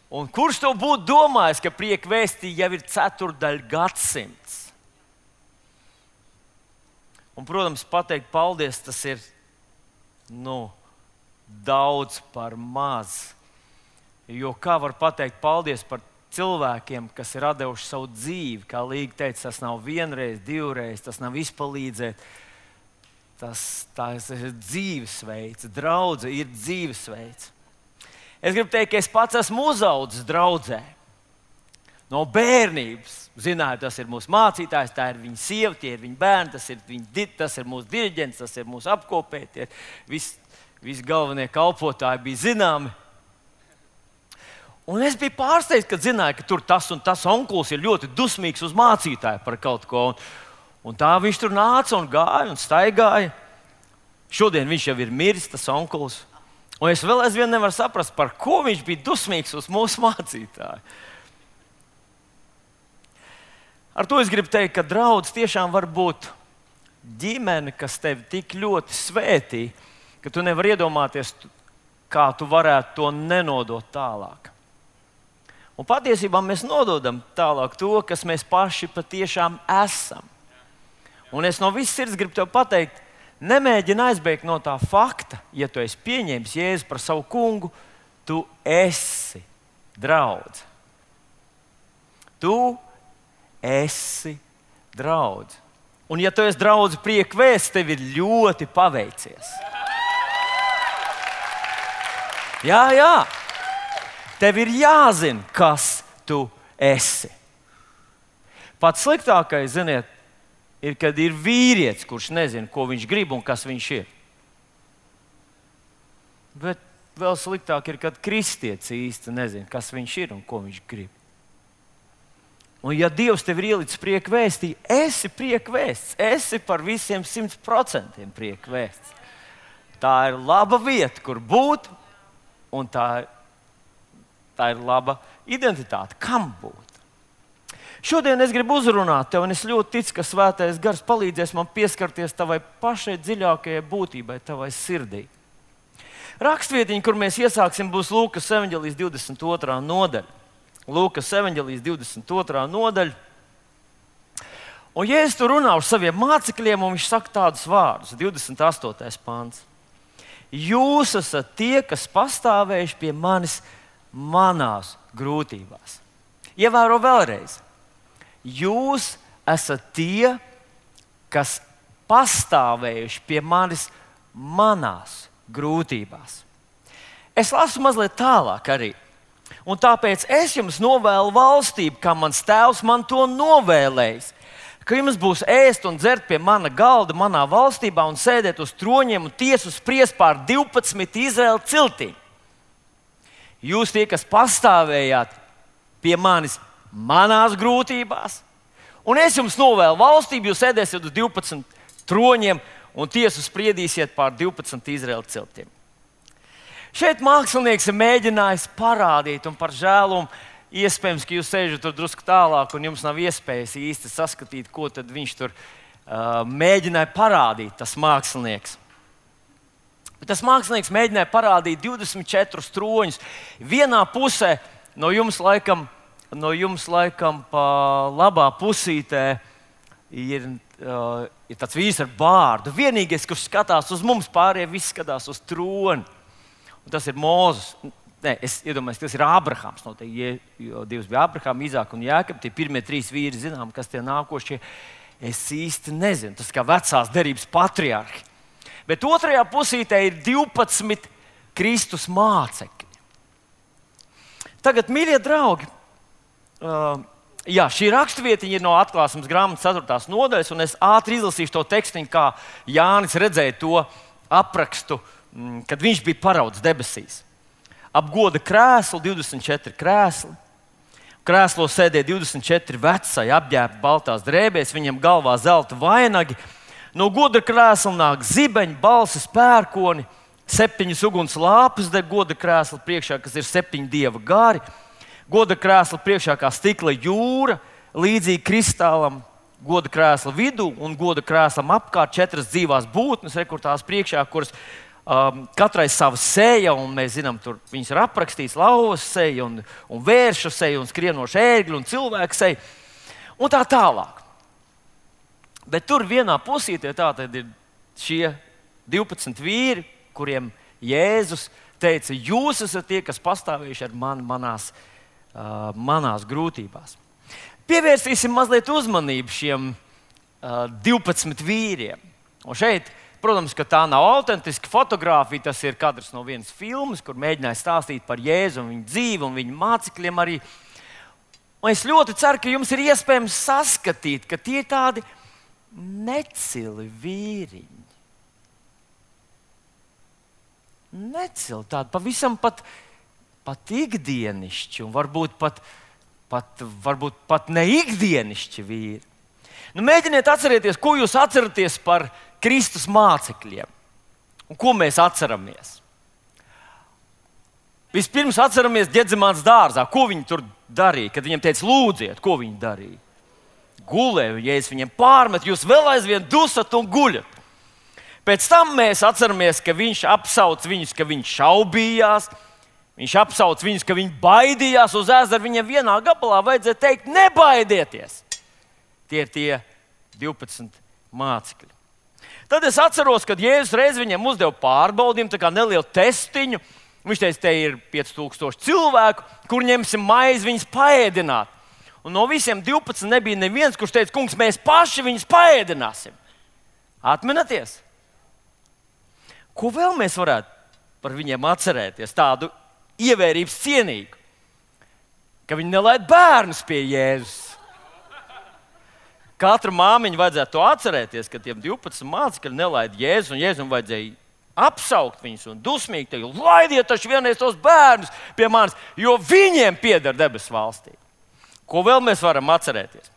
Un kurš to būtu domājis, ka prieka vēstī jau ir 4. gadsimts? Un, protams, pateikt paldies, tas ir daudz par maz. Jo kā var pateikt paldies par cilvēkiem, kas ir devuši savu dzīvi? Kā Līga teica, tas nav vienreiz, divreiz, tas nav izpalīdzēt. Tas ir dzīvesveids, draudze ir dzīvesveids. Es gribu teikt, ka es pats esmu uzaudzis draudzē. No bērnības. Zināju, tas ir mūsu mācītājs, tā ir viņa sieva, tie ir viņa bērni, tas ir mūsu diriģents, tas ir mūsu apkopēji. Visi galvenie kalpotāji bija zināmi. Un es biju pārsteigts, kad zināju, ka tur tas un tas onkulis ir ļoti dusmīgs uz mācītāju par kaut ko. Un tā viņš tur nāca un gāja un staigāja. Šodien viņš jau ir miris, tas onkulis. Un es vēl aizvien nevaru saprast, par ko viņš bija dusmīgs uz mūsu mācītāju. Ar to es gribu teikt, ka draudz tiešām var būt ģimene, kas tevi tik ļoti svētī, ka tu nevari iedomāties, kā tu varētu to nenodot tālāk. Un patiesībā mēs nododam tālāk to, kas mēs paši patiešām esam. Un es no visas sirds gribu tev pateikt, nemēģini aizbēgt no tā fakta, ja tu esi pieņēmis Jēzu par savu kungu, tu esi draudz. Tu esi draudz. Un ja tu esi draudz prieka vēsts, tev ir ļoti paveicies. Jā. Tev ir jāzina, kas tu esi. Pats sliktākais, ziniet, ir, kad ir vīrietis, kurš nezina, ko viņš grib un kas viņš ir. Bet vēl sliktāk ir, kad kristietis īsti nezina, kas viņš ir un ko viņš grib. Un ja Dievs tev ir ielicis prieka vēstī, esi prieka vēsts, esi par visiem 100% prieka vēsts. Tā ir laba vieta, kur būt, un tā ir laba identitāte, kam būt. Šodien es gribu uzrunāt tevi, un es ļoti ticu, ka Svētais Gars palīdzēs man pieskarties tavai pašai dziļākajai būtībai, tavai sirdī. Rakstvietiņa, kur mēs iesāksim, būs Lūkas evaņģēlijas 22. nodaļa. Lūkas evaņģēlijas 22. nodaļa. Un Jēzus tur runā uz saviem mācekļiem, un viņš saka tādus vārdus, 28. pants. Jūs esat tie, kas pastāvējuši pie manis manās grūtībās. Ievēro vēlreiz. Jūs esat tie, kas pastāvējuši pie manis manās grūtībās. Es lasu mazliet tālāk arī. Un tāpēc es jums novēlu valstību, kā mans tēvs man to novēlējis. Ka jums būs ēst un dzert pie mana galda manā valstībā un sēdēt uz troņiem un tiesu spriest pār 12 Izraēla ciltīm. Jūs tie, kas pastāvējāt pie manis manās grūtībās, un es jums novēlu valstību, jūs sēdēsiet uz 12 troņiem un tiesu spriedīsiet pār 12 Izraēla ciltīm. Šeit mākslinieks ir mēģinājis parādīt, un par žēlumu iespējams, ka jūs sēžat tur drusku tālāk, un jums nav iespējas īsti saskatīt, ko tad viņš tur mēģināja parādīt, tas mākslinieks. Bet tas mākslinieks mēģināja parādīt 24 troņus. Vienā pusē no jums laikam pa labā pusītē ir tāds vīrs ar bārdu. Vienīgais, kurš skatās uz mums, pārējie visi skatās uz troni. Un tas ir Mūzes. Nē, es iedomājos, tas ir Ābrahams. Jo Dievs bija Ābrahams, Izāks un Jākabs. Tie pirmie 3 vīri, zinām, kas tie nākošie. Es īsti nezinu. Tas kā vecās derības patriarhi. Bet otrajā pusītē ir 12 Kristus mācekļi. Tagad, mīļie draugi, šī raksturvietiņa ir no Atklāsmes grāmatas 4. nodaļas, un es ātri izlasīšu to tekstiņu, kā Jānis redzēja to aprakstu, kad viņš bija paraudzis debesīs. Ap goda krēslu 24 krēsli. Krēslos sēdēja 24 vecāji, apģērbti baltās drēbēs, viņiem galvā zelta vainagi. No goda krēsla nāk zibeņi, balsis, pērkoni, 7 uguns lāpes deg goda krēsla priekšā, kas ir 7 dieva gari. Goda krēsla priekšā kā stikla jūra, līdzīgi kristālam. Goda krēsla vidū un goda krēslam apkārt 4 dzīvās būtnes, kur tās priekšā, kuras Katrai sava seja, un mēs zinām, tur viņas ir aprakstīts lauvas seja, un vērša seja, un skrienoša ērgļa, un cilvēka seja, un tā tālāk. Bet tur vienā pusītē tātad ir šie 12 vīri, kuriem Jēzus teica, jūs esat tie, kas pastāvējuši ar mani manās grūtībās. Pievērsīsim mazliet uzmanību šiem 12 vīriem. Un šeit, protams, ka tā nav autentiska fotogrāfija, tas ir kadrs no vienas filmas, kur mēģināja stāstīt par Jēzu un viņa dzīvi un viņa mācekļiem arī. Un es ļoti ceru, ka jums ir iespējams saskatīt, ka tie ir tādi necili vīriņi. Necili, tādi pavisam pat ikdienišķi un varbūt pat ne ikdienišķi vīri. Nu, mēģiniet atcerēties, ko jūs atceraties par Kristus mācekļiem un ko mēs atceramies. Vispirms atceramies Ģedzemānas dārzā, ko viņi tur darīja, kad viņiem teica lūdziet, ko viņi darīja. Gulēja, Jēzus viņiem pārmet, jūs vēl aizvien dusat un guļat. Pēc tam mēs atceramies, ka viņš apsauc viņus, ka viņš šaubījās. Viņš apsauc viņus, ka viņi baidījās uz ezeru. Viņiem vienā gabalā vajadzēja teikt, nebaidieties. Tie ir tie 12 mācekļi. Tad es atceros, kad Jēzus reiz viņiem uzdeva pārbaudījumu, tā kā nelielu testiņu. Viņš teica, te ir 5000 cilvēku, kur ņemsim maizi viņus paēdināt. Un no visiem 12 nebija neviens, kurš teica, kungs, mēs paši viņus paēdināsim. Atminaties? Ko vēl mēs varētu par viņiem atcerēties? Tādu ievērības cienīgu, ka viņi nelaid bērnus pie Jēzus. Katra māmiņa vajadzētu to atcerēties, ka tiem 12 mācekļi nelaid Jēzus, un Jēzum vajadzēja apsaukt viņus un dusmīgi teikt, laidiet taču vienreiz tos bērnus pie manis, jo viņiem pieder debesu valstī. Ko vēl mēs varam atcerēties?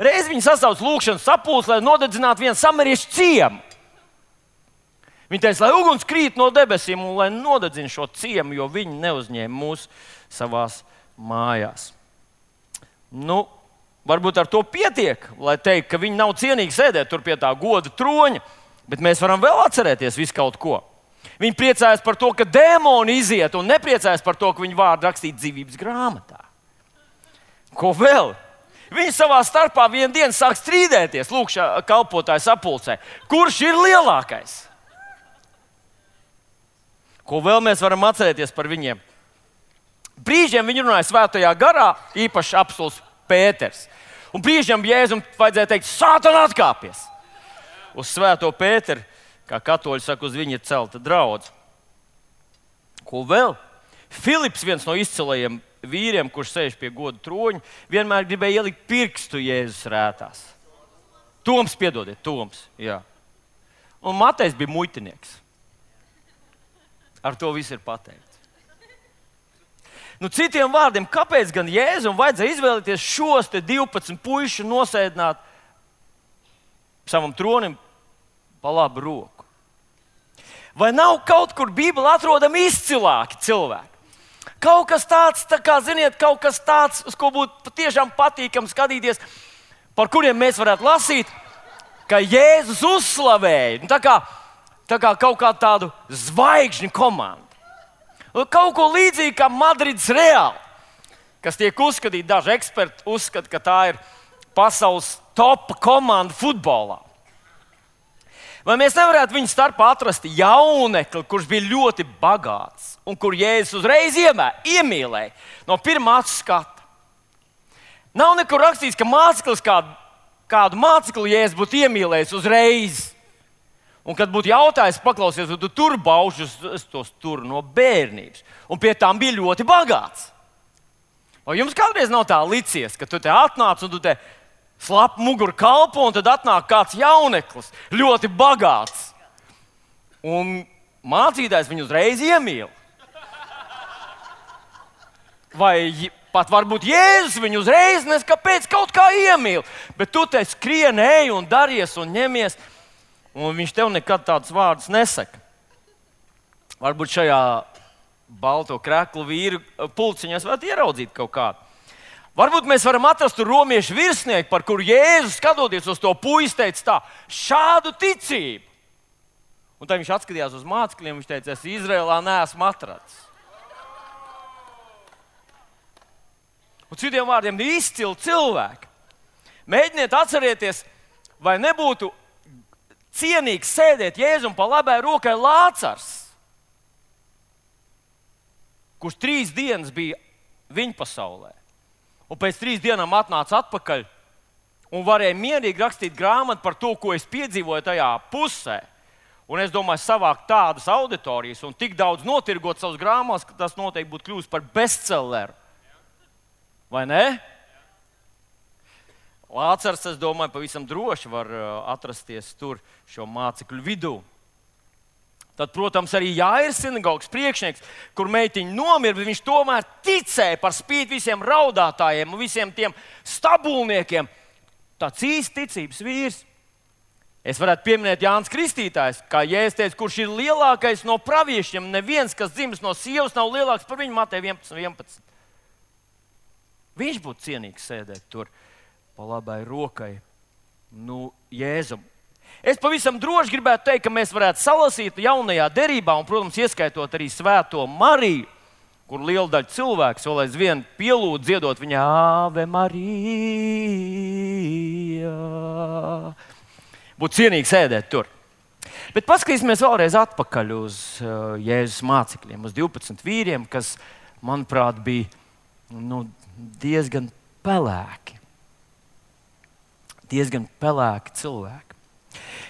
Reiz viņi sasauc lūgšanas sapulci, lai nodedzinātu vienu samariešu ciemu. Viņi teica, lai uguns krīt no debesīm un lai nodedzina šo ciemu, jo viņi neuzņēma mūs savās mājās. Nu, varbūt ar to pietiek, lai teikt, ka viņi nav cienīgi sēdēt tur pie tā goda troņa, bet mēs varam vēl atcerēties visu kaut ko. Viņi priecājas par to, ka dēmoni iziet, un nepriecājas par to, ka viņu vārdu rakstīt dzīvības grāmatā. Ko vēl? Viņi savā starpā vienu dienu sāk strīdēties, lūkšā kalpotāju sapulcē. Kurš ir lielākais? Ko vēl mēs varam atcerēties par viņiem? Brīžiem viņi runāja svētajā garā, īpaši apstulis Pēters. Un brīžiem Jēzum vajadzēja teikt, Sātana atkāpies. Uz svēto Pēteru, kā katoļi saka, uz viņu ir celta draudze. Ko vēl? Filips, viens no izcilajiem vīriem, kurš sēž pie goda troņa, vienmēr gribēja ielikt pirkstu Jēzus rētās. Toms, piedodiet, Toms. Jā. Un Matejs bija muitinieks. Ar to viss ir pateikts. Nu, citiem vārdiem, kāpēc gan Jēzum vajadzēja izvēlēties šos 12 puišu nosēdināt savam tronim pa labu roku? Vai nav kaut kur Bībelē atrodami izcilāki cilvēki? Kaut kas tāds, tā kā, ziniet, kaut kas tāds, uz ko būtu patiešām patīkami skatīties, par kuriem mēs varētu lasīt, ka Jēzus uzslavēja. Tā kā kaut kā tādu zvaigžņu komandu. Kaut ko līdzīgu kā Madrids Real, kas tiek uzskatīta, daži eksperti uzskata, ka tā ir pasaules topa komanda futbolā. Vai mēs nevarētu viņu starpā atrast jaunekli, kurš bija ļoti bagāts un kur Jēzus uzreiz iemīlēja no pirmā acu skata? Nav nekur rakstīts, ka māceklis kādu mācekli Jēzus būtu iemīlējis uzreiz. Un, kad būtu jautājums, paklausies, vai tu tur baušus, es tos turu no bērnības. Un pie tām bija ļoti bagāts. Vai jums kādreiz nav tā licies, ka tu te atnāc un tu te slap muguru kalpo, un tad atnāk kāds jauneklis, ļoti bagāts. Un mācītājs viņu uzreiz iemīl. Vai pat varbūt Jēzus viņu uzreiz kāpēc kaut kā iemīl. Bet tu te skrien, ej un daries un ņemies. Un viņš tev nekad tādus vārdus nesaka. Varbūt šajā balto kreklu vīru pulciņās varētu ieraudzīt kaut kādu. Varbūt mēs varam atrast tur romiešu virsnieku, par kuru Jēzus, skatoties uz to puisi, teica tā, šādu ticību Un tad viņš atskatījās uz mācekļiem, viņš teica, es Izrēlā neesmu atradzis. Un citiem vārdiem izcili cilvēki. Mēģiniet atcerieties, vai nebūtu cienīgs sēdēt Jēzum pa labai rokai Lācars, kurš 3 dienas bija viņa pasaulē. Un pēc 3 dienām atnāca atpakaļ un varēja mierīgi rakstīt grāmatu par to, ko es piedzīvoju tajā pusē. Un es domāju, savākt tādas auditorijas un tik daudz notirgot savus grāmatas, ka tas noteikti būtu kļūst par bestselleru. Vai ne? Lācars, es domāju, pavisam droši var atrasties tur šo mācekļu vidū. Tad, protams, arī Jāirs sinagogas priekšnieks, kur meitiņa nomira, bet viņš tomēr ticēja par spīti visiem raudātājiem un visiem tiem stabulniekiem. Tāds īsts ticības vīrs. Es varētu pieminēt Jānis Kristītājs, kā Jēzus teica, kurš ir lielākais no praviešiem. Neviens, kas dzimis no sievas, nav lielāks par viņu, Mateja 11:11. Viņš būtu cienīgs sēdēt tur pa labai rokai, Jēzum. Es pavisam droši gribētu teikt, ka mēs varētu salasīt jaunajā derībā, un, protams, ieskaitot arī Svēto Mariju, kur liela daļa cilvēks vēl aizvien pielūdz dziedot viņa Ave Marija. Būtu cienīgi sēdēt tur. Bet paskatīsimies vēlreiz atpakaļ uz Jēzus mācekļiem, uz 12 vīriem, kas, manuprāt, bija diezgan pelēki. Diezgan pelēki cilvēki.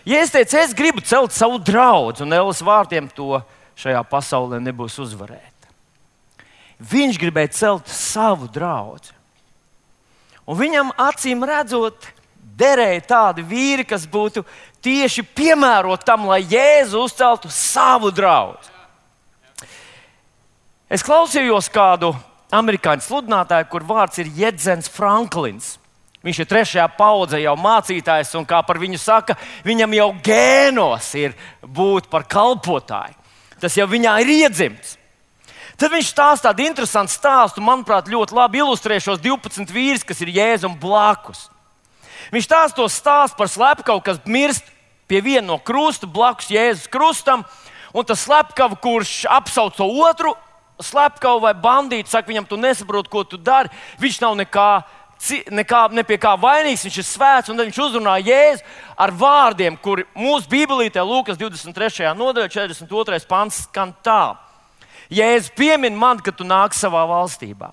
Jēzus teica, es gribu celt savu draudzi, un ēles vārtiem to šajā pasaulē nebūs uzvarēta. Viņš gribēja celt savu draudzi. Un viņam acīm redzot, derēja tādi vīri, kas būtu tieši piemēroti tam, lai Jēzu uzceltu savu draudzi. Es klausījos kādu amerikāņu sludinātāju, kur vārds ir Jedzens Franklins. Viņš ir 3. paudze jau mācītājs, un kā par viņu saka, viņam jau gēnos ir būt par kalpotāju. Tas jau viņā ir iedzimts. Tad viņš stāsta tādu interesantu stāstu, manuprāt, ļoti labi ilustrē šos 12 vīrus, kas ir Jēzum blakus. Viņš stāsta par slepkavu, kas mirst pie viena no krusta, blakus Jēzus krustam, un tas slepkava, kurš apsauc to otru slepkavu vai bandītu, saka viņam, tu nesaproti, ko tu dari, viņš nav ne pie kā vainīgs, viņš ir svēts, un tad viņš uzrunā Jēzu ar vārdiem, kuri mūsu Bībelītē, Lūkas 23. nodaļā, 42. pants skan tā. Jēzus piemin man, ka tu nāc savā valstībā.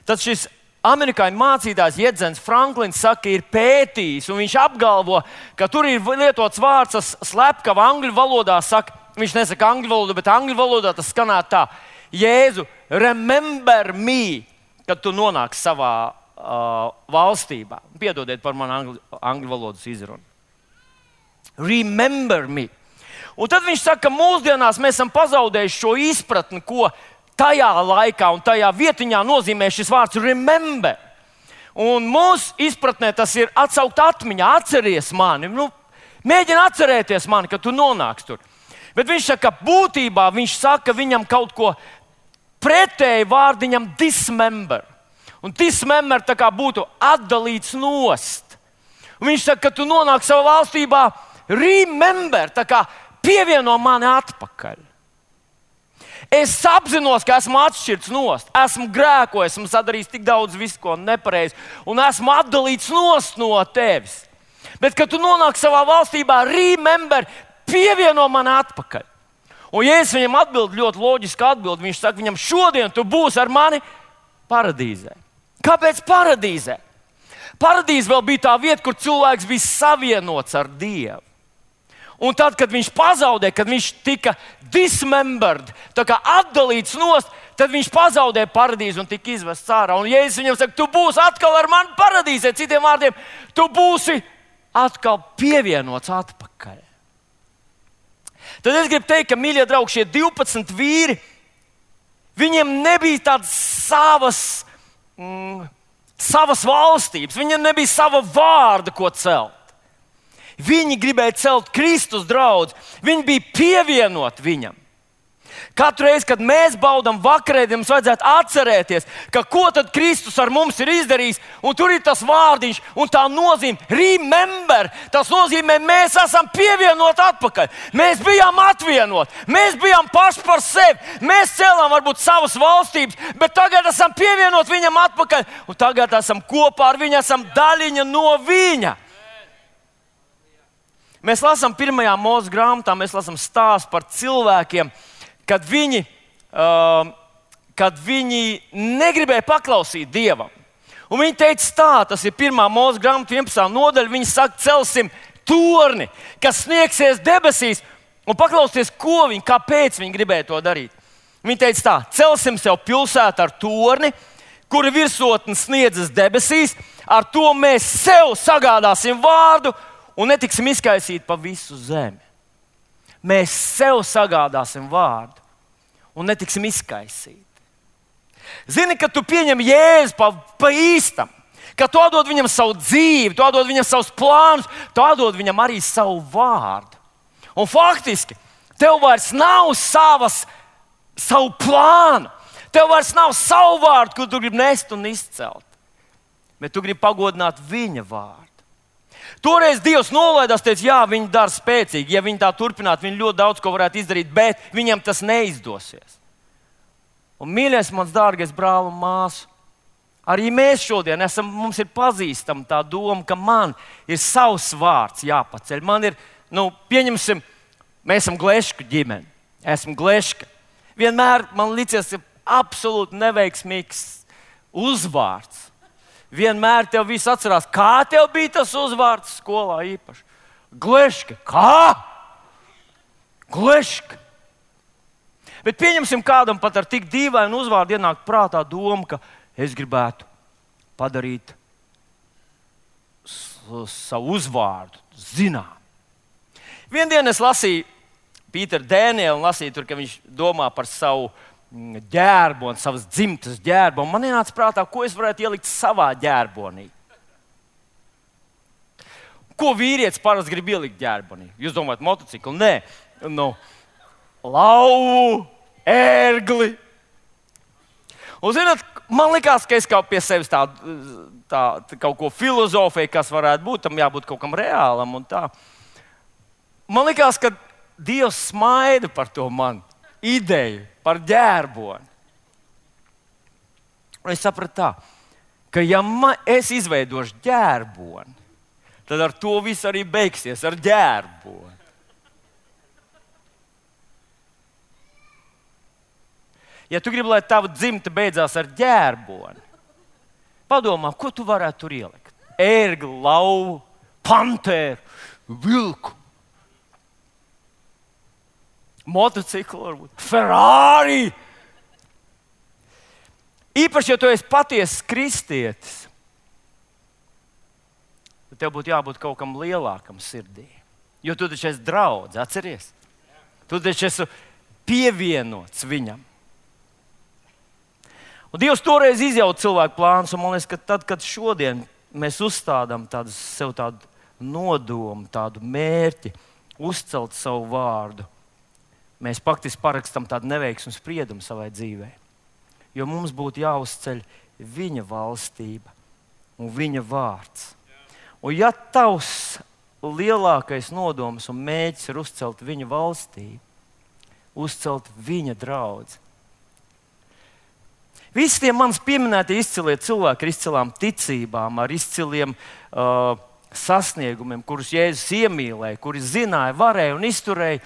Tad šis amerikāņu mācītājs Jedzens Franklins saka, ir pētījis, un viņš apgalvo, ka tur ir lietots vārds slepkava angļu valodā, saka, viņš nesaka angļu valodā, bet angļu valodā tas skanā tā. Jēzu, remember me, kad tu nonāksi savā valstībā. Piedodiet par manu angļu valodas izrunu. Remember me. Un tad viņš saka, ka mūsdienās mēs esam pazaudējuši šo izpratni, ko tajā laikā un tajā vietiņā nozīmē šis vārds remember. Un mūsu izpratnē tas ir atsaukt atmiņā, atceries mani. Mēģini atcerēties mani, kad tu nonāksi tur. Bet viņš saka, ka būtībā viņš saka viņam kaut ko pretēji vārdiņam dismember. Un dismember tā kā būtu atdalīts nost. Un viņš saka, ka tu nonāksi savā valstībā, remember, tā kā pievieno mani atpakaļ. Es apzinos, ka esmu atšķirts nost, esmu grēkojis, esmu sadarījis tik daudz visu, ko nepareizi, un esmu atdalīts nost no tevis. Bet, kad tu nonāksi savā valstībā, remember, pievieno mani atpakaļ. Un Jēzus viņam atbild ļoti loģiski atbild. Viņš saka, viņam šodien tu būsi ar mani paradīzē. Kāpēc paradīzē? Paradīze vēl bija tā vieta, kur cilvēks bija savienots ar Dievu. Un tad, kad viņš pazaudēja, kad viņš tika dismembered, tā kā atdalīts nost, tad viņš pazaudēja paradīzi un tika izvests ārā. Un Jēzus viņam saka, tu būsi atkal ar mani paradīzē. Citiem vārdiem, tu būsi atkal pievienots atpakaļ. Tad es gribu teikt, ka, mīļie draugi, šie 12 vīri, viņiem nebija tādas savas valstības, viņiem nebija sava vārda, ko celt. Viņi gribēja celt Kristus draudzi, viņi bija pievienoti viņam. Katru reizi, kad mēs baudām vakarēdienu, mums vajadzētu atcerēties, ka ko tad Kristus ar mums ir izdarījis. Un tur ir tas vārdiņš un tā nozīme. Remember! Tas nozīmē, mēs esam pievienoti atpakaļ. Mēs bijām atvienoti. Mēs bijām paši par sevi. Mēs cēlām varbūt savas valstības, bet tagad esam pievienoti viņam atpakaļ. Un tagad esam kopā ar viņu, esam daļiņa no viņa. Mēs lasām 1. Mūzes grāmatā, mēs lasām stāstu par cilvēkiem, kad viņi negribēja paklausīt Dievam. Un viņi teica tā, tas ir 1. Mūzes grāmata 11. nodaļa, viņi saka, celsim torni, kas sniegsies debesīs, un paklausties, kāpēc viņi gribēja to darīt. Viņi teica tā, celsim sev pilsētu ar torni, kura virsotne sniedzas debesīs, ar to mēs sev sagādāsim vārdu un netiksim izkaisīti pa visu zemi. Mēs sev sagādāsim vārdu un netiksim izkaisīti. Zini, ka tu pieņem Jēzu pa īstam, ka tu atdod viņam savu dzīvi, tu atdod viņam savus plānus, tu atdod viņam arī savu vārdu. Un faktiski, tev vairs nav savu plānu, tev vairs nav savu vārdu, ko tu gribi nest un izcelt, bet tu gribi pagodināt viņa vārdu. Toreiz Dievs nolaidās, teica, jā, viņi dara spēcīgi. Ja viņi tā turpinātu, viņi ļoti daudz ko varētu izdarīt, bet viņam tas neizdosies. Un, mīļais, mans dārgais brāl un māsu, arī mēs šodien mums ir pazīstama tā doma, ka man ir savs vārds jāpaceļ. Man ir, pieņemsim, mēs esam Glešku ģimene. Esmu Gleška. Vienmēr man licies absolūti neveiksmīgs uzvārds. Vienmēr tev viss atcerās, kā tev bija tas uzvārds skolā īpaši. Gleška. Kā? Gleška. Bet pieņemsim, kādam pat ar tik dīvainu uzvārdu ienāk prātā doma, ka es gribētu padarīt savu uzvārdu zinām. Vienu dienu es lasīju Pīteru Dēnielu un lasīju tur, ka viņš domā par savu ģērboni, savas dzimtas ģērboni. Man ienāca prātā, ko es varētu ielikt savā ģērbonī. Ko vīrietis parasti grib ielikt ģērbonī? Jūs domājat, motociklu? Nē. Lauvu, ērgli. Un, zināt, man likās, ka es kaut pie sevis tā kaut ko filozofēju, kas varētu būt, tam jābūt kaut kam reālam un tā. Man likās, ka Dievs smaida par to man ideju, par ģērboni. Un es sapratu tā, ka ja es izveidošu ģērboni, tad ar to viss arī beigsies, ar ģērboni. Ja tu gribi, lai tava dzimta beidzās ar ģērboni, padomā, ko tu varētu tur ielikt? Ērgli, lauvu, panteru, vilku. Motociklu, varbūt Ferrari. Īpaši, ja tu esi patiesas kristietis, tad tev būtu jābūt kaut kam lielākam sirdī. Jo tu taču esi draudz, atceries? Tu taču esi pievienots viņam. Un Dievs toreiz izjauta cilvēku plānus, un man liekas, ka tad, kad šodien mēs uzstādām sev tādu nodomu, tādu mērķi, uzcelt savu vārdu, mēs faktiski parakstām tādu neveiksmu spriedumu savai dzīvei. Jo mums būtu jāuzceļ viņa valstība un viņa vārds. Un ja tavs lielākais nodoms un mērķis ir uzcelt viņa valstību, uzcelt viņa draudzi. Visi tie manis pieminētie izcilie cilvēki ar izcilām ticībām, ar izciliem sasniegumiem, kurus Jēzus iemīlēja, kuri zināja, varēja un izturēja.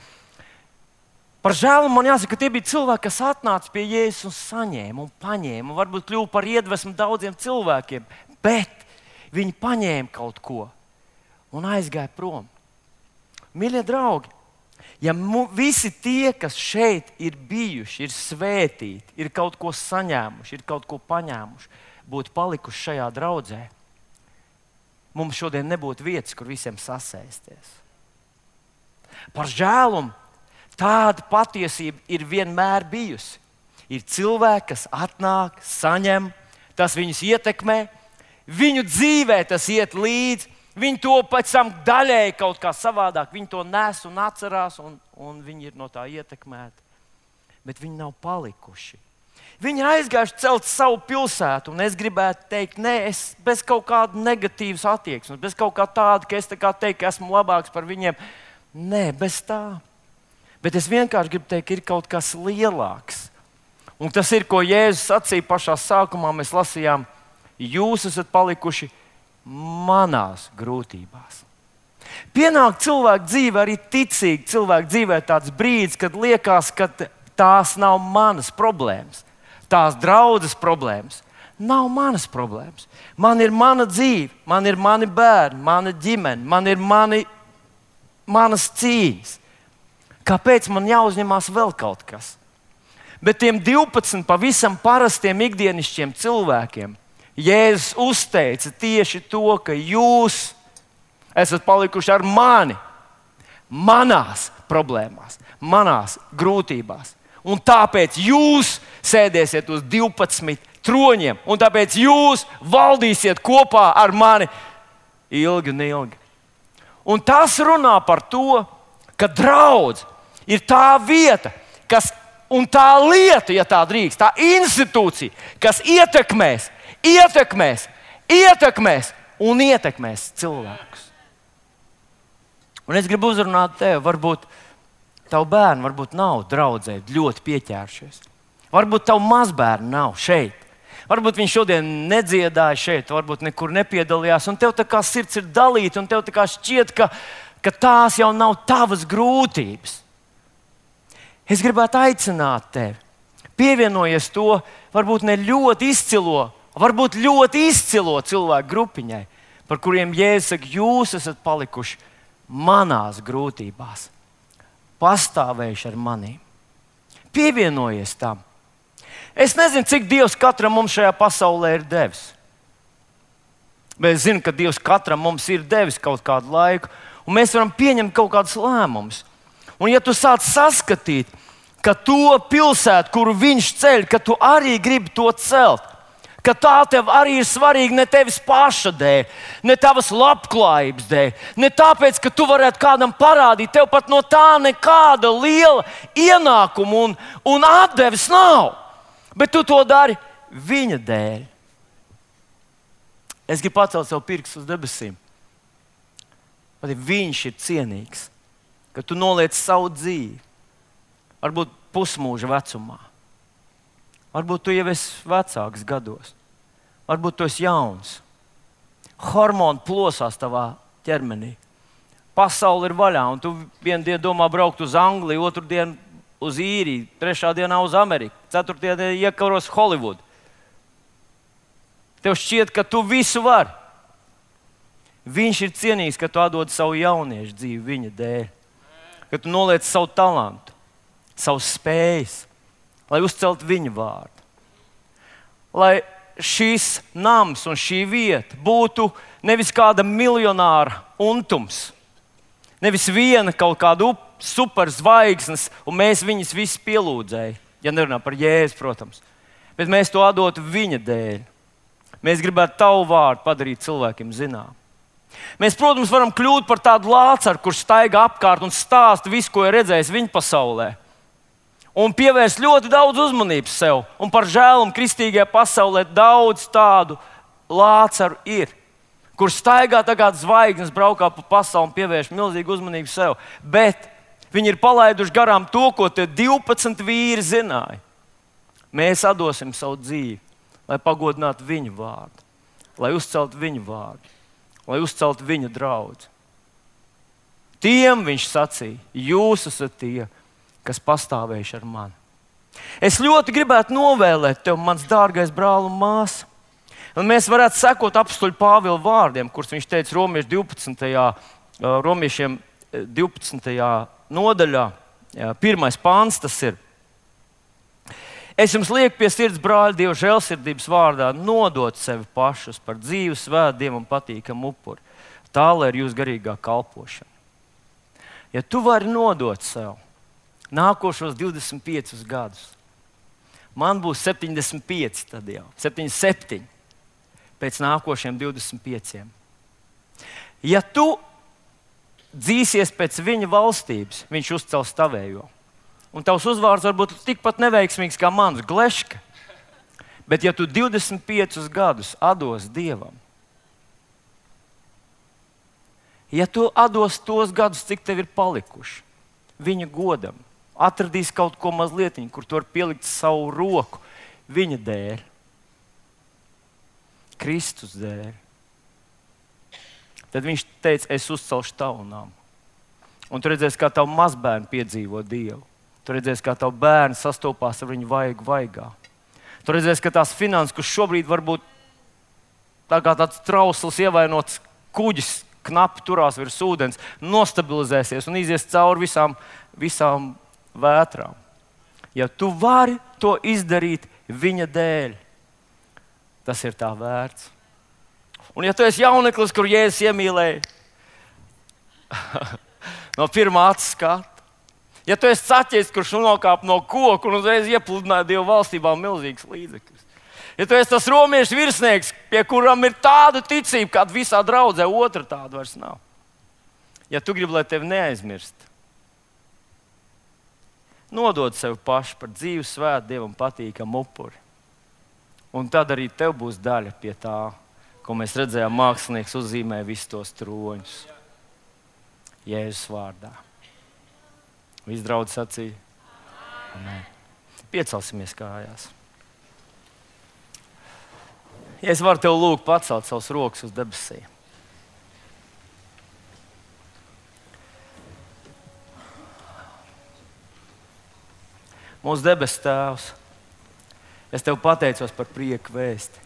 Par žēlu man jāsaka, ka tie bija cilvēki, kas atnāca pie Jēzus un saņēma un paņēma, un varbūt kļuva par iedvesmu daudziem cilvēkiem, bet viņi paņēma kaut ko un aizgāja prom. Mīļie draugi, ja visi tie, kas šeit ir bijuši, ir svētīti, ir kaut ko saņēmuši, ir kaut ko paņēmuši, būtu palikuši šajā draudzē, mums šodien nebūtu vietas, kur visiem sasēsties. Par žēlumu tāda patiesība ir vienmēr bijusi. Ir cilvēki, kas atnāk, saņem, tas viņus ietekmē, viņu dzīvē tas iet līdzi, viņi to pēc tam daļēji kaut kā savādāk, viņi to nes un atcerās, un viņi ir no tā ietekmēti. bet viņi nav palikuši. Viņi ir aizgājuši celt savu pilsētu, un es gribētu teikt, es bez kaut kāda negatīvas attieksmes, bez kaut kā tāda, ka es tā kā teiktu, ka esmu labāks par viņiem. Nē, bez tā. Bet es vienkārši gribu teikt, ka ir kaut kas lielāks. Un tas ir, ko Jēzus sacīja pašā sākumā, mēs lasījām, jūs esat palikuši manās grūtībās. Pienāk cilvēku dzīve, arī ticīgi cilvēku dzīvē tāds brīdis, kad liekas, ka tās nav manas problēmas. Tās draudzes problēmas nav manas problēmas. Man ir mana dzīve, man ir mani bērni, mana ģimene, man ir manas cīņas. Kāpēc man jāuzņemās vēl kaut kas? Bet tiem 12 pavisam parastiem ikdienišķiem cilvēkiem Jēzus uzteica tieši to, ka jūs esat palikuši ar mani, manās problēmās, manās grūtībās. Un tāpēc jūs sēdēsiet uz 12 troņiem, un tāpēc jūs valdīsiet kopā ar mani ilgi un ilgi. Un tas runā par to, ka draudz ir tā vieta, un tā lieta, ja tā drīkst, tā institūcija, kas ietekmēs un ietekmēs cilvēkus. Un es gribu uzrunāt tevi, varbūt tavu bērnu nav draudzē ļoti pieķēršies. Varbūt tavu mazbērnu nav šeit. Varbūt viņš šodien nedziedāja šeit, varbūt nekur nepiedalījās. Un tev tā kā sirds ir dalīta, un tev tā kā šķiet, ka tās jau nav tavas grūtības. Es gribētu aicināt tevi. Pievienojies to varbūt ne ļoti izcilo, varbūt ļoti izcilo cilvēku grupiņai, par kuriem Jēzus saka, jūs esat palikuši manās grūtībās. Pastāvējuši ar manīm. Pievienojies tam. Es nezinu, cik Dievs katram mums šajā pasaulē ir devis. Bet es zinu, ka Dievs katram mums ir devis kaut kādu laiku, un mēs varam pieņemt kaut kādus lēmumus. Un ja tu sāc saskatīt, ka to pilsētu, kuru viņš ceļ, ka tu arī gribi to celt, ka tā tev arī ir svarīga ne tevis paša dēļ, ne tavas labklājības dēļ, ne tāpēc, ka tu varētu kādam parādīt, tev pat no tā nekāda liela ienākuma un atdeves nav, bet tu to dari viņa dēļ. Es gribu pacelt savu pirkstu uz debesīm. Pat ja viņš ir cienīgs, ka tu noliec savu dzīvi, varbūt pusmūža vecumā. Varbūt tu jau esi vecāks gados. Varbūt tu esi jauns. Hormoni plosās tavā ķermenī. Pasaule ir vaļā, un tu vienu dienu domā braukt uz Angliju, otru dienu uz Īriju, trešā dienā uz Ameriku, ceturtajā dienā iekaros Holivudu. Tev šķiet, ka tu visu vari. Viņš ir cienīgs, ka tu atdod savu jauniešu dzīvi viņa dēļ. Ka tu noliec savu talantu, savus spējas, lai uzceltu viņa vārdu. Lai šis nams un šī vieta būtu nevis kāda miljonāra untums, nevis viena kaut kāda superzvaigznes, un mēs viņus visus pielūdzējam, ja nerunā par Jēzu, protams. Bet mēs to atdotu viņa dēļ. Mēs gribētu tavu vārdu padarīt cilvēkiem zinām. Mēs, protams, varam kļūt par tādu lācaru, kurš staigā apkārt un stāsta visu, ko ir redzējis viņa pasaulē. Un pievērst ļoti daudz uzmanības sev. Un par žēlumu kristīgajā pasaulē daudz tādu lācaru ir, kurš staigā tagad zvaigznes, braukā pa pasauli un pievērš milzīgu uzmanību sev. Bet viņi ir palaiduši garām to, ko tie 12 vīri zināja. Mēs atdosim savu dzīvi, lai pagodinātu viņu vārdu, lai uzceltu viņu vārdu, lai uzceltu viņa draudzi. Tiem viņš sacīja, jūs esat tie, kas pastāvējuši ar mani. Es ļoti gribētu novēlēt tev, mans dārgais brāl un māsa, un mēs varētu sekot apstuļu Pāvila vārdiem, kurus viņš teica Romiešiem 12. nodaļā, 1. pāns tas ir. Es jums lieku pie sirds, brāļi, Dieva žēlsirdības vārdā, nodot sevi pašus par dzīvu, svētu, Dievam patīkamu upuri. Tā lai ir jūsu garīgā kalpošana. Ja tu vari nodot sev nākošos 25 gadus, man būs 75, tad jau 77 pēc nākošiem 25. Ja tu dzīsies pēc viņa valstības, viņš uzcels tavējo. Un tavs uzvārds var būt tikpat neveiksmīgs kā mans, Gleška. Bet ja tu 25 gadus atdos Dievam, ja tu atdos tos gadus, cik tev ir palikuši, viņa godam, atradīs kaut ko mazliet, kur tu vari pielikt savu roku viņa dēļ, Kristus dēļ, tad viņš teica, es uzcelšu tavu namu. Un tu redzēsi, kā tavu mazbērnu piedzīvo Dievu. Tu redzēsi, kā tavu bērnu sastopās ar viņu vaigā. Tu redzēsi, ka tās finanses, kas šobrīd varbūt tā kā tāds trausls, ievainots kuģis, knapi turās virs ūdens, nostabilizēsies un izies cauri visām vētrām. Ja tu vari to izdarīt viņa dēļ, tas ir tā vērts. Un ja tu esi jauneklis, kur Jēzus iemīlēja no pirmā acu skata, ja tu esi caķis, kurš nokāpa no koka un uzreiz iepludināja Dievu valstībā milzīgas līdzekļus, ja tu esi tas romiešu virsnieks, pie kuram ir tāda ticība, kāda visā draudzē, otra tāda vairs nav. Ja tu gribi, lai tevi neaizmirst, nodod sev pašu par dzīvu, svētu, Dievam patīkamu upuri. Un tad arī tev būs daļa pie tā, ko mēs redzējām, mākslinieks uzzīmē visus tos troņus. Jēzus vārdā. Visi draudzi sacīja? Amen. Piecelsimies kājās. Ja es varu tev lūgt pacelt savus rokas uz debesīm. Mūsu debesu Tēvs, es tev pateicos par prieku vēsti.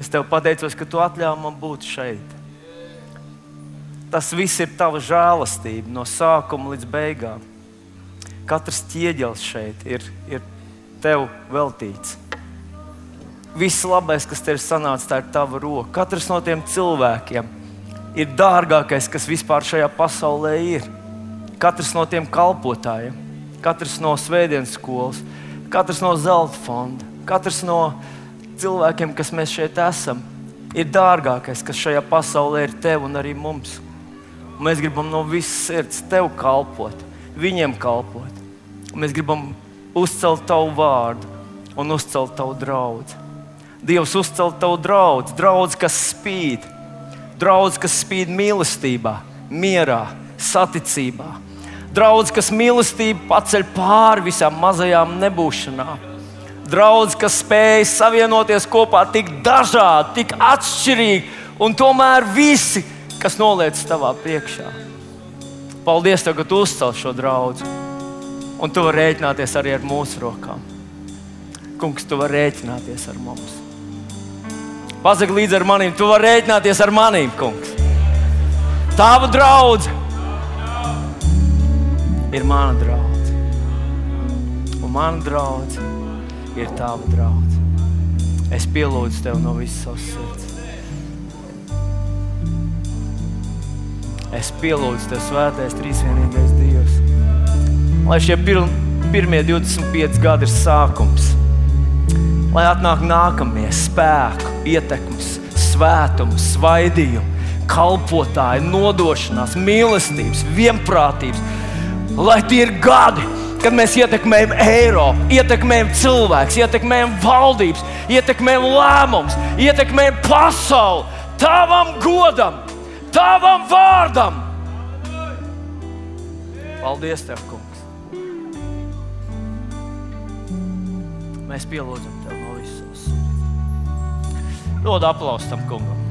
Es tev pateicos, ka tu atļāvi man būt šeit. Tas viss ir tava žēlastība no sākuma līdz beigām. Katrs ķieģelis šeit ir tev veltīts. Viss labais, kas tev ir sanācis, tā ir tava roka. Katrs no tiem cilvēkiem ir dārgākais, kas vispār šajā pasaulē ir. Katrs no tiem kalpotājiem, katrs no svētdienas skolas, katrs no zelta fonda, katrs no cilvēkiem, kas mēs šeit esam, ir dārgākais, kas šajā pasaulē ir tev un arī mums. Un mēs gribam no visas sirds tev kalpot, viņiem kalpot. Un mēs gribam uzcelt tavu vārdu un uzcelt tavu draudzi. Dievs uzcelt tavu draudzi, draudzi, kas spīd mīlestībā, mierā, saticībā. Draudzi, kas mīlestību paceļ pāri visām mazajām nebūšanām. Draudzi, kas spēj savienoties kopā tik dažādi, tik atšķirīgi, un tomēr visi, kas noliec tavā priekšā. Paldies tev, ka tu uzcēli šo draudzi. Un tu vari rēķināties arī ar mūsu rokām. Kungs, tu vari rēķināties ar mums. Pasaki līdzi ar manīm, tu vari rēķināties ar manīm, kungs. Tava draudze ir mana draudze. Un mana draudze ir tava draudze. Es pielūdzu tev no visas savas sirds. Es pielūdzu tev, svētais, trīsvienīgais Dievs. Lai šie pirmie 25 gadi ir sākums. Lai atnāk nākamie spēku, ietekmes, svētums, svaidījumi, kalpotāji, nodošanās, mīlestības, vienprātības. Lai tie ir gadi, kad mēs ietekmējam Eiropu, ietekmējam cilvēkus, ietekmējam valdības, ietekmējam lēmumus, ietekmējam pasauli tavam godam, tavam vārdam. Paldies tev, kungs. Mēs pielūdzam tev no visas. Dod aplausu tam kungam.